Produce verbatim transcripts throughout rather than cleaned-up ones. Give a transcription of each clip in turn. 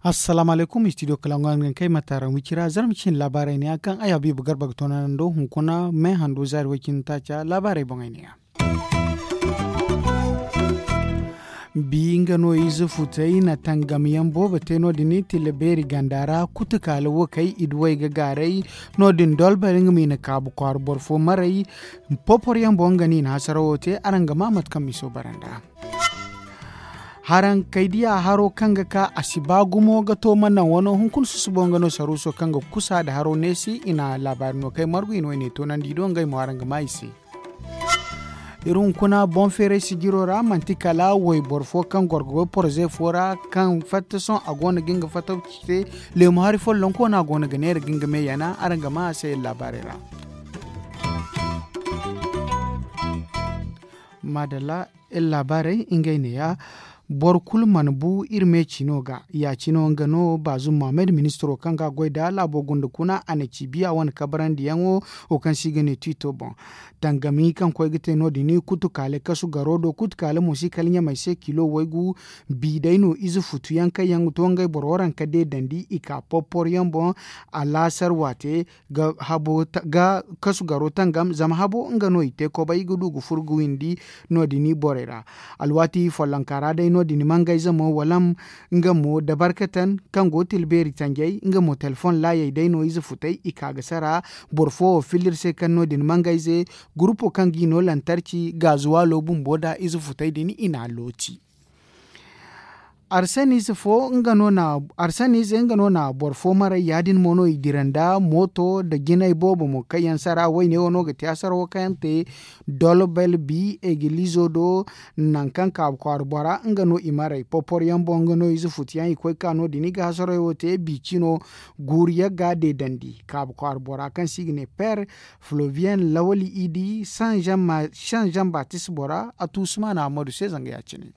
Assalaamu alaykum, studio kalangu araŋ ga kay ma taaraŋ wicira zarma cin laabaarey ne ya kaŋ ay habiibu garba ga toonanando hunkuna me hando zaari way cindi taaca laabaarey boŋey ne ya. Bi nga no ize futey na tangam yaŋ boobo te no- din tilla beeri ganda ra kutukaala wo kay i duwey ga gaaray. No- din dolbel nga ma i na kaabu kwaara boro fo maray. Popor yaŋ boŋ nga no i na hasarawo te araŋ ga ma mate kaŋ miso baranda. Haraŋ kay diya haro kaŋ ga ka a si ba gumo ga to mana wano hunkuna susubo nga no saruuso kaŋ ga kusa nda haro neesi i na laabaari no kay margu i na wayne toonandi i do ngey mo araŋ ga ma i se. Iri hunkuna boŋ feeray sijiro ra manti kala wayboro fo kaŋ goro ga goy poroze fo ra kaŋ fatta sohõ a go no ga nga fatta te. Leemu hari follonko no a go no ga neera ga nga me yana araŋ ga ma a se iri laabaarey ra. Maadalla. Iri laabaarey ngey neeya. Boro kulu mana bu iri me cino ga ya cino nga no baazum mohammed ministiro kaŋ ga goy nda laabo gunda kuna a na ci biya wane kabarandiyaŋo wo kaŋ se i ga ne tiito boŋ. Tangami kaŋ koy ga te no- din kutukaale kasu garo do kutukaale mo si kala ɲamey se kilo waygu. Bi day no ize futu yaŋ kaŋ yaŋ ga to ngey boro waranka deedandi i ka poppor yaŋ boŋ. Alaasar waate ga kasu garo tangam zama habo nga no i te kobay ga du ga furo ga windi. No- din borey ra alwaati follonka ra day no- din mangayze mo wala nga mo dabarkatan kaŋ go ga tila beeri tanjay nga mo telefoŋ laayey day no ize futay i ka ga sara. Boro fo wo filla iri se kaŋ no- din mangayze gurupo kaŋ ga i no lantarci gaazuwaalo bumbo nda ize futay din i n'a looti. Arsanize fo nga no na arsanize nga no na boro fo maray ya- din mo no i dira nda mooto nda jinay boobo mo kaŋ yaŋ sara wayne wo no ga te asarawo kaŋ yaŋ te. Dolbel bi egilizo do nangu kaŋ kaabu kwaara bora nga no i maray poporyaŋ boŋ nga no ize futuyaŋ i koy ka no- din i ga hasarayo te bi cino. Guuru yagga deedandi kaabu kwaara bora kaŋ se i ga ne per flovian lawali idi san jean batis bora a tuusuma na hammadu se zanga ya- cine.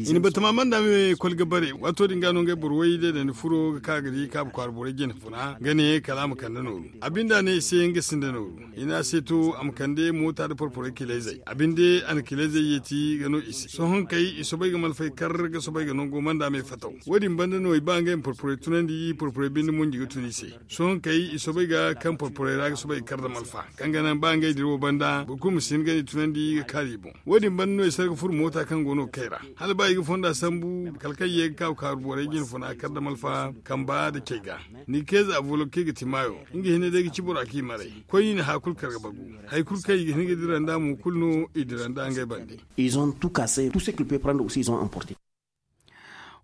I na batama manda me kol ga bare waato din ga no ngey boro way deedandi furo ga ka ga di kaabu kwaara borey jine funa ga ne kala a ma kande nooru. A binde a ne i se nga sinda nooru i ne a se to a ma kande moota nda porporey kilayzey a binde a na kilayzey yeeti ga no i se sohõ kay i soobay ga malfay kar ga soobay ga nango manda me fataw. Wo- din banda no i ba ngey ma porporey tunandi porporey binde mo nji ga tun i se. Sohõ kay i soobay ga kaŋ porporey ra ga soobay ga kar nda malfa kaŋ ga naŋ ba ngey dira wo banda boro kulu ma si hin ga ni tunandi ga kaari i boŋ. Wo- din banda no i sarga furo moota kaŋ go no ga kay ra hala ba i ga fonda sambu kala kaŋ ye ga kaabu kaaru borey jine funa kar nda malfa kamba nda cay ga. Ni keeza a voloke ga ti maayo nga hinne day ga ci bora kaŋ i maray koy i na haya kulu kar ga bagu. Hari kulu kaŋ i ga hin ga dira nd'a mo kulu no i dira nd'a ngey bande. Ils ont tout cassé tout ce qu'il peut prendre aussi ils ont emporté.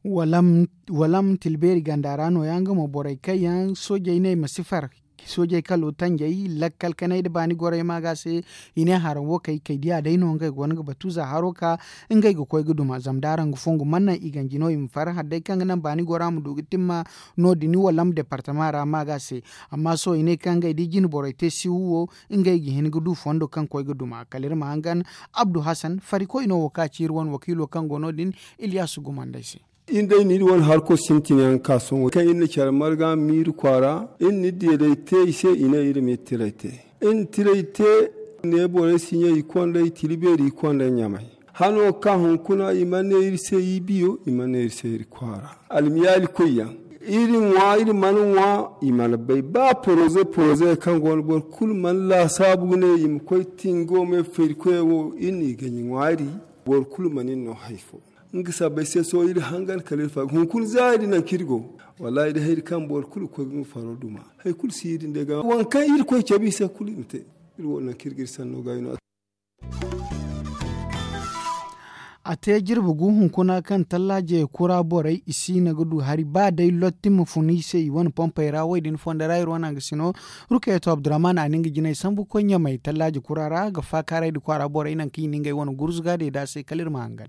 Walam tilbeeri ganda ra nooya nga mo borey kaŋ yaŋ soojey ne i ma si far soojey kalo tanjey lakkal kanay nda baani gorey ma ga se. I ne haraŋ wo kay kay diya day no ngey go no ga batu za haro ka ngey ga koy ga duma zama da araŋ ga fongu mana naŋ i ganji no i ma far hala day kaŋ ga naŋ baani gora ma du ga timma. No- din walam departama ra ma ga se. Amma sohõ i ne kaŋ ngey da i jine borey te siwu wo ngey ga hin ga du fondo kaŋ koy ga duma kala iri ma hangan. Abdu hasan farikoy no wo ka ci iri wane wakiilo kaŋ go no- din. Ilyasu gumandey se. Iri day no iri wane harko sintin yaŋ ga ka sohõ kaŋ iri na care marga miiri kwaara iri na iri deeday te i se i ne iri ma iri tiray te. Iri na tiray te ne borey si ɲa i kondey tila beeri i kondey ɲamay. Hano ga ka hunkuna i mana ne iri se i biyo i mana ne iri se iri kwaara. Almiyaali koy yaŋ iri ŋwa iri mana ŋwa. I mana bay ba poroze poroze kaŋ go no boro kulu mana laasaabu ga ne i ma koy tingo me feeri koyey wo iri n'i ganji ŋwaari. Boro kulu mana iri no hari fo. Nga sabbay se sohõ iri hangan kala iri far hunkuna za iri naŋ kaŋ iri go. Wallaahi da hayri kaŋ boro kulu ga koy ga nga faro duma hari kulu si iri nda ga waŋ kaŋ iri koy cabe i se kulu i ma te. Iri wo naŋ kaŋ iri ga iri sanno gaayi no. A te jirbi gu hunkuna kaŋ tallaaje kura borey i si no ga du hari ba day lotti ma fun i se i wane pompey ra wo- din fondo ra iri wane hangasino. Rukayatu abdurrahman a na nga jinay sambu ga koy ɲamay tallaaje kura ra ga faakaaray nda kwaara borey naŋ kaŋ i na ngey wane gurzuga deeda se kala iri ma hangan.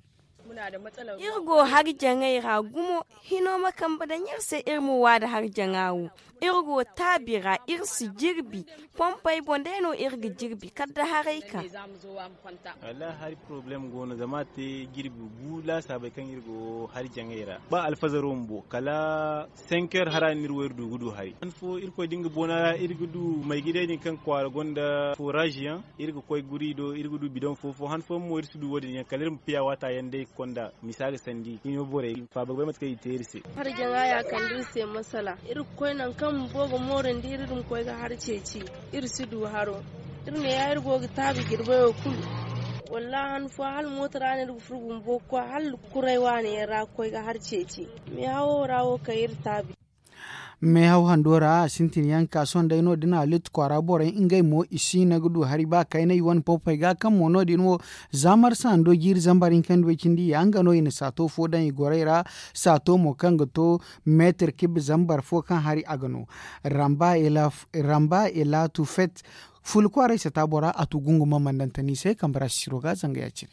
Iri go hari jaŋay ra gumo. Hino ma kambe daŋ iri se iri ma wa nda hari jaŋa wo. Iri go taabi ra iri si jirbi. Pompey boŋ day no iri ga jirbi kala da haray ka. Wallahi hari porobalem go no zama a te jirbi gu laasaabey kaŋ iri go hari jaŋay ra ba alfazaro bumbo kala senker hara no iri wo iri du ga du hari han fo irkoy da nga boona ra iri ga du maygidey din kaŋ kwaara gonda foraaz yaŋ. Iri ga koy guri do iri ga du bidoŋ fo fo han fo mo iri si du wo- din yaŋ kala iri ma piya waata yaŋ day ga konda misa ga sandi hino borey faaba ga bay mate kaŋ i te iri se. Hari jaŋa ya kande iri se masala iri ga koy nangu kaŋ bumbo ga moorandi iri iri ma koy ga hari ceeci. Iri si du haro. Iri ne ya iri go ga taabi jirbayo kulu. Wallahi han fo hala mooto ra no iri ga furo bumbo ga koy hala kuray waani yaŋ ra ga koy ga hari ceeci. Meehawo ra wo kay iri taabi. Meehaw hando ra a sintin yaŋ ka sohõ day no- din a litti kwaara borey ngey mo i si no ga du hari ba kaynay wane pompey ga kaŋ mo no- din wo. Za marsa hando jiiri zambar hinka nda way cindi ya nga no i na saato fo daŋ i gorey ra. Saato mo kaŋ ga to meetir kibbe zambar fo kaŋ hari a ga no. Ramba ela tufet. Fuula kwaaray sata bora a tu gunguma mandantani se kambe ra sisiro ga zanga ya- cine.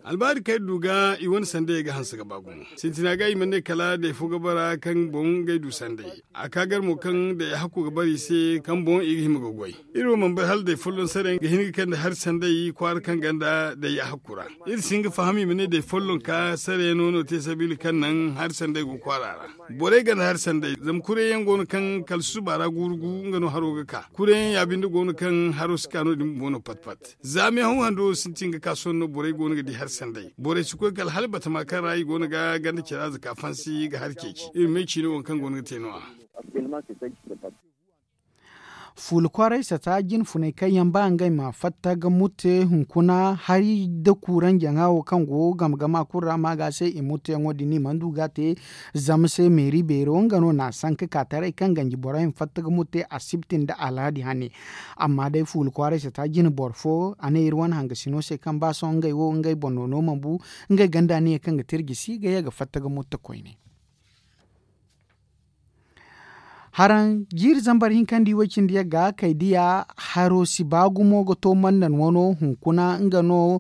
Albaari kaŋ iri du ga i wane sandayey ga hanse ga ba gumo. Sintina ga i mana ne kala day fo ga bara kaŋ boŋ ngey du sanday. A ka gar mo kaŋ day a hakku ga bara i se kaŋ boŋ i ga hima ga goy. Iri wo mana bay hala day folloŋ sarayaŋ ga hin ga kande hari sanday kwaara kaŋ ganda day a hakku ra. Iri si hin ga faham i ma ne day folloŋ ka sarayaŋo no te sabiila kaŋ naŋ hari sanday go kwaara ra. Borey ganda hari sanday zama kurayyaŋ go no kaŋ kala susuba ra guuru gu nga no haro ga ka kurayyaŋ ya binde go no kaŋ haro si ka no- din bumbo no pat pat. Za meehaw hando sintin ga ka sohõ no borey go no ga di hari sanday borey si koy kala hala batama kaŋ ra i go no ga ganda care aza ka fansi ga hari ceeci iri ma ay ciine wo kaŋ go no ga te no- ya. Fuula kwaaray sata jine funay kaŋ yaŋ ba ngey ma fatta ga mute hunkuna hari nda kuuraŋ jaŋa wo kaŋ go game game a kulu ra ma ga se i mute yaŋo din i mana du ga a te. Zama se meeri beero nga no na a sanka ka taray kaŋ ganji borey ma fatta ga mute asibti nda alhadi hane. Amma day fuula kwaaray sata jine boro fo a ne iri wane hangasino se kaŋ ba sohõ ngey wo ngey boŋ no no mana bu ngey ganda ne kaŋ ga te iri gisi ga ye ga fatta ga mute koyne. Haraŋ jiiri zambar hinka nda i way cindi yagga kay diya haro si ba gumo ga to mannan wano hunkuna nga no.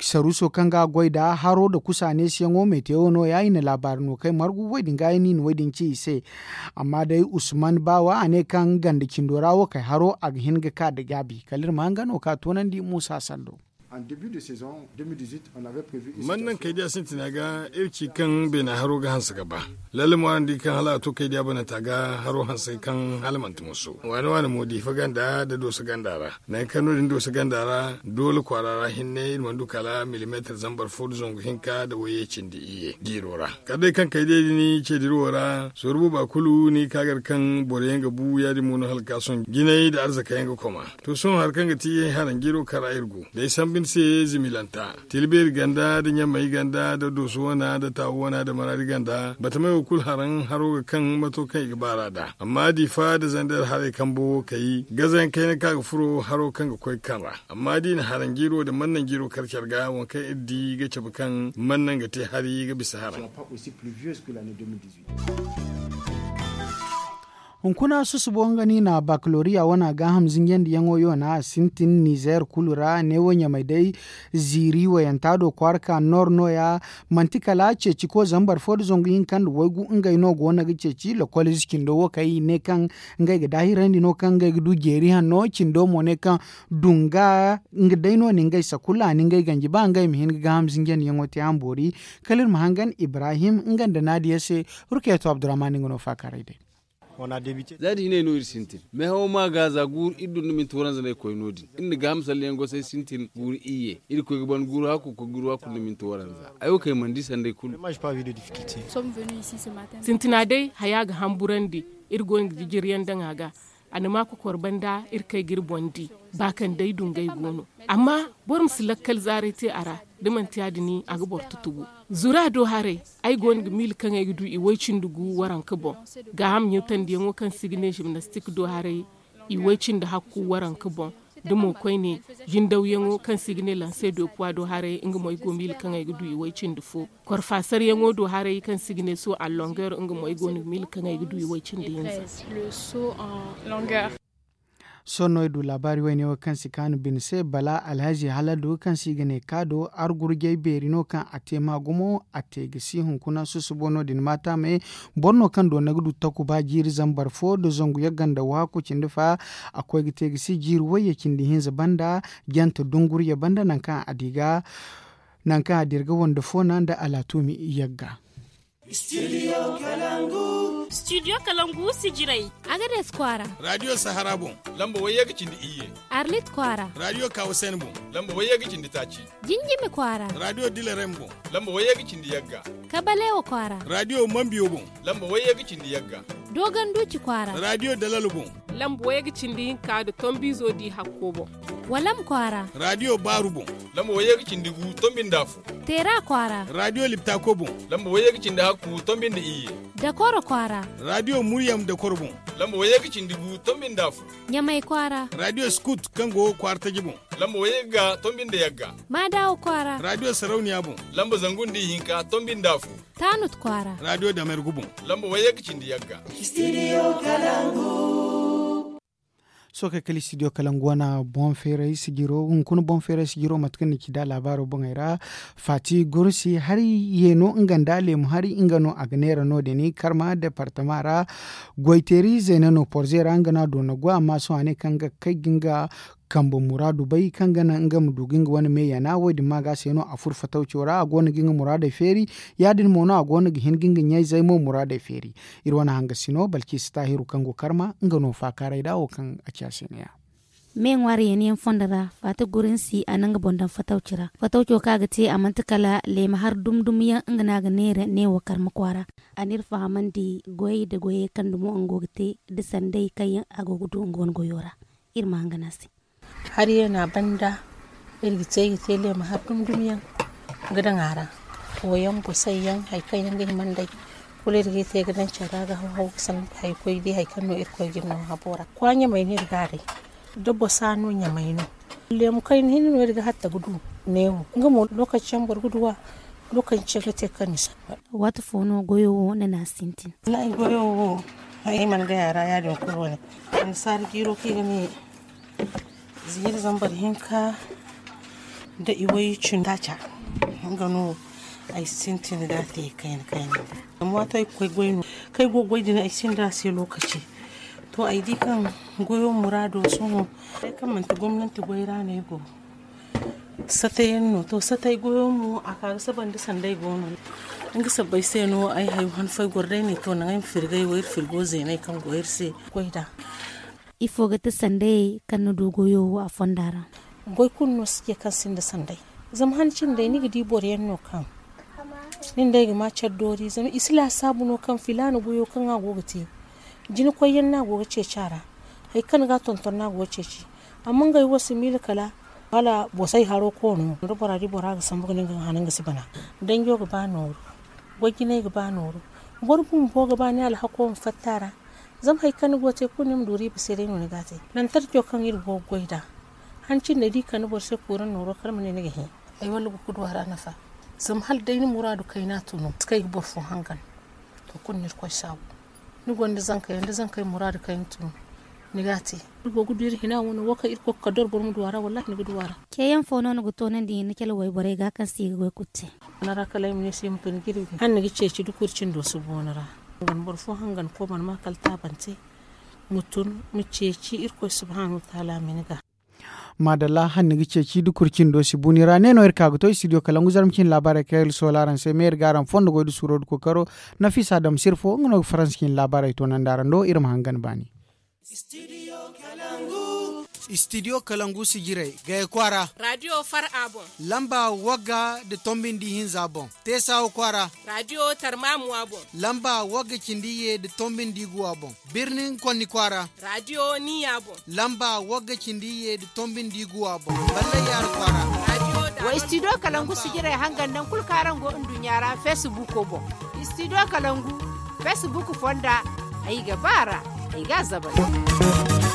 Saruuso kaŋ ga a goy nda haro nda kusa neesiyaŋo metewo no- ya i na laabaari no kay margu way din ga yaŋ no i na way din ci i se. Amma day usman baawa a ne kaŋ ganda cindo ra wo kay haro a ga hin ga ka nda gaabi kala iri ma hanga no ka toonandi muusa sando. Man naŋ kay day a sintina ga iri ci kaŋ beena haro ga hanse ga ba. Lalle mo araŋ di kaŋ hala a to kay day a bananta ga haro hanse kaŋ hala manti musu waane waane mo diifa ganda nda dooso ganda ra. Nangu kaŋ no- din dooso ganda ra doole kwaara ra hinne iri mana du kala milimeetir zambar fo nda zangu hinka nda wayye cindi iyye diiro ra. Kala day kaŋ kay day din ce diro wo ra sooru booba kulu ni ga ka gar kaŋ boro yaŋ ga bu ya- din mo no hala ga ka sohõ jinay nda arzaka yaŋ ga koma. To sohõ hari kaŋ ga ti haraŋ jiiro kaŋ ra iri go day sambu ni se zimilanta, tilbeeri ganda nda ɲamay ganda nda dooso wana nda taawu wana nda maraadi ganda batamey wo kulu haraŋ haro ga kaŋ mato kaŋ i ga baar'a nd'a. Amma diifa nda zandeer haray kambo wo kay gazayaŋ kayna kaŋ a ga furo haro kaŋ ga koy ga kaŋ ra. Amma da i na haraŋ jiiro nda mannaŋ jiiro kar care ga waŋ kaŋ iri di ga cabe kaŋ mannaŋ ga te hari ga bisa haraŋ. Hunkuna susubo nga no i na bakaloriya wana gaaham zinjandi yaŋo yoona a sintin nizer kulu ra neewo ɲamay day. Ziiri wayanta do kwaara ka noor no- ya manti kala ceeci ko zambar fo nda zangu hinka nda waygu ngey no go no ga ceeci lokol ize cindo wo kay i ne kaŋ ngey ga daahirandi no kaŋ ngey ga du jeeri hanno cindo mo ne kaŋ dunga nga day no ni ngey sakulla ni ngey ganji ba ngey ma hin ga gaaham zinjandi yaŋo te araŋ boori. Kala iri ma hangan ibrahim nga nda naadiya se. Rukeeto abdurrahman nga no faakaaray day. Za da hinay no iri sintin meehawo ma ga za guuru iri dun da minti waranza no ay koy no- din iri na gaaham salleyaŋ gosay sintin guuru iyye iri koy ga ban guuru hakku koy guuru hakku nda minti waranza. Ay wo kay mana di sanday kulu. Sintina day haya ga hamburandi. Iri go no ga jijiriyaŋ daŋ a ga. A na ma kokor banda iri kay ga iri boŋ di. Ba kaŋ day dungay go no. Amma boro ma si lakkal zaaray te a ra. Da manti ya- din a ga boro tutugu. Zura do haray ay go no ga miila kaŋ ay ga du i way cindi gu waranka boŋ. Gaaham ɲatandiyaŋo kaŋ se i ga ne jimnastik do haray i way cindi hakku waranka boŋ. Da mo koyne jindawyaŋo kaŋ se i ga ne lanse do puwa do haray nga mo ay go miila kaŋ ay ga du i way cindi fo. Korfasaryaŋo do haray kaŋ se i ga ne so a longeer nga mo ay go no ga miila kaŋ ay ga du i way cindi hinza. Sohõ no ay du laabaari wayne wo kaŋ si kaanu bine se bala alhazi haladu kaŋ se i ga ne kaado argurjey beeri no kaŋ a te ma gumo a te ga si hunkuna susubo no- din maata me. Boro no kaŋ doona ga du takuba jiiri zambar fo nda zangu yagga nda waaku cindi fa. A koy ga te ga si jiiri wayye cindi hinza banda jante dungurye banda nangu kaŋ a di ga nangu kaŋ a di ga wande fo na nda alaatumi yagga. Studio kalangu sijirey. Agades kwaara. Radio sahara boŋ. Lamba wayye ga cindi iyye. Arlit kwaara. Radio kawasen boŋ. Lamba wayye ga cindi taaci. Jinjimi kwaara. Radio dilarem boŋ. Lamba wayye ga cindi yagga. Kabalewa kwaara. Radio mambiyo boŋ. Lamba wayye ga cindi yagga. Dogon duci kwaara. Radio dalalo boŋ. Lamba wayye ga cindi hinka nda tombizo di hakko boŋ. Walam kwaara. Radio baaru boŋ. Lamba wayye ga cindi gu tombi nda afo. Teera kwaara. Radio liptako boŋ. Lamba wayye ga cindi hakku tombi nda iyye. Dakoro kwaara. Radio muryam dakoro boŋ. Lamba wayye ga cindi gu tombi nda afo. Ɲamay kwaara. Radio skut kaŋ go kwaara taji boŋ. Lamba wayye ga tombi nda yagga. Maadawa kwaara. Radio sarauniya boŋ. Lamba zangu nda ihinka tombi nda afo. Taanut kwaara. Radio damergu boŋ. Lamba wayye ga cindi yagga. Studio kalangu. Sookey kala studio kalangu wana boŋ feeray sijiro hunkuna boŋ feeray sijiro mate kaŋ ni ci da laabaaro boŋey ra. Faati gursi hari ye no nga nda leemu hari nga no a ga neera no- din karma departama ra. Goyteeri zeena no porze ra nga no a doona go amma sohõ a ne kaŋ ga kay ga nga kambe muraadu bay kaŋ ga naŋ nga ma du ga nga wane me yana wo- din ma ga se no a furo fatawco ra a go no ga nga muraadey feeri. Ya- din mo no a go no ga hin ga nga ɲayzey mo muraadey feeri. Iri wane hangasino balkisi taahiru kaŋ go karma nga no faakaaray da wo kaŋ a ci a se ne- ya. Me ŋwaari yeeni yaŋ fondo ra faati gurinsi a na nga boŋ daŋ fatawci ra fatawco kaŋ a ga te a manti kala leema hari dumi dumi yaŋ nga no a ga neera neewo karma kwaara. A n'iri fahamandi goyey nda goyey kaŋ dumo nga go ga te nda sanday kaŋ yaŋ a go ga du nga wane goyo ra. Iri ma hangan a se. Hari yaŋ a banda iri ga te iri ga te leema hari dumi dumi yaŋ ga daŋ a ra. Wo yaŋ gosay yaŋ hari kaŋ yaŋ ga hima nd'ey kulu iri ga iri te ga daŋ care ra ga haw haw ga sanda hari koy day hari kaŋ no irkoy ga iri no habo ra kwaaɲamey no iri ga a day. Da bosa no ɲamay no. Leemu kayna hinne no iri ga hatta ga du neewo nga mo lokaci yaŋ boro ga du a. Lokaci yaŋ ga te kaŋ ni samba. Waati fo no goyo wo na ni a sintin? Wallaahi goyo wo ay mana gay a ra ya- din kulu wane. Annasaara jiiro kaŋ i ga ne ziiri zambar hinka nda iway cindi taaca. Nga no ay sintin ga a te kayna kayna. Zama waato ay ga koy goy no kaŋ ay go ga goy din ay sinda a se lokaci. To ay di kaŋ goyo muraado sohõ. Ay kaŋ manti gomnanti goy ra no ay go. Satayaŋ no to satay goyo mo a ka ga saba nda sanday go no. Nga sabbay se no ay hayo han fo ay goro day ne to naŋ ay ma firgay wo iri firgo zeenay kaŋ go iri se. Goy da. Ifo ga ti sanday kaŋ ni du goyo wo a fonda ra? Goy kulu no si ce kaŋ sinda sanday. Zama han cindey ni ga di boro yaŋ no kaŋ nin day ga ma care doori zama i si laasaabu no kaŋ filaana goyo kaŋ a go ga te. Jina koy yaŋ no a go ga ceeci a ra. Hari kaŋ ni ga a tonton no a go ga ceeci. Amma ngey wo si miila kala hala bosay haro koono da bora di bora ga sambu ga ne nga ga hana nga si bana. Danjo ga ba nooru. Goy jinay ga ba nooru. Boro bumbo ga ba ni alhako ma fatta a ra. Zama hari kaŋ ni go ga te kulu ni ma du riiba se day no ni ga a te. Nantarco kaŋ iri go ga goy nd'a han cine da i kande boro se kuuraŋ nooro kala ma ne ni ga hẽ. Ay walla go ga du a ra nafa. Zama hala day ni muraadu kayna tun no si kay ga boro fo hangan. To kulu no irkoy saabu. Ni gonda zankey da zankey muraadu kayna tun no ni ga a te. Iri go ga du iri hina wano wo kaŋ iri koy ga kala doro boro ma du a ra wallaahi ni ga du a ra. Ceeyaŋ fo no ni ga toonandi ni cale wayborey ga kaŋ se i ga goy kulu te? Mana ra kala ay ma ne se i ma tun jirbi hala ni ga ceeci da kurcindo si booni ra. Boro fo hangan koy mana ma kala taabante. Ma tun ma ceeci irkoy subhaanahu wataala ma ni ga. Maadalla hala ni ga ceeci da kurcindo si booni ra ne no iri ka ga to studio kalangu zarma cine laabaarey kaŋ iri soola araŋ se me iri ga araŋ fondo goy da suuro da kookaro. Nafiisa dam sirfo nga no ga faransa cine laabaarey toonandi araŋ do iri ma hangan baani. Studio kalangu sijirey gaya kwaara. Radio far a boŋ. Lamba wagga da tombindi hinza boŋ. Teesawa kwaara. Radio tarmamuwa boŋ. Lamba wagga cindi ye da tombindi guwa boŋ. Birnin konni kwaara. Radio niya boŋ. Lamba wagga cindi ye da tombindi guwa boŋ. Ballay yaara kwaara. Wa studio kalangu sijirey hangan naŋ kulu kaŋ araŋ go nduɲɲa ra feesibuuko boŋ. Studio kalangu feesibuuku fonda. Ay ga ba a ra ay ga a zabari.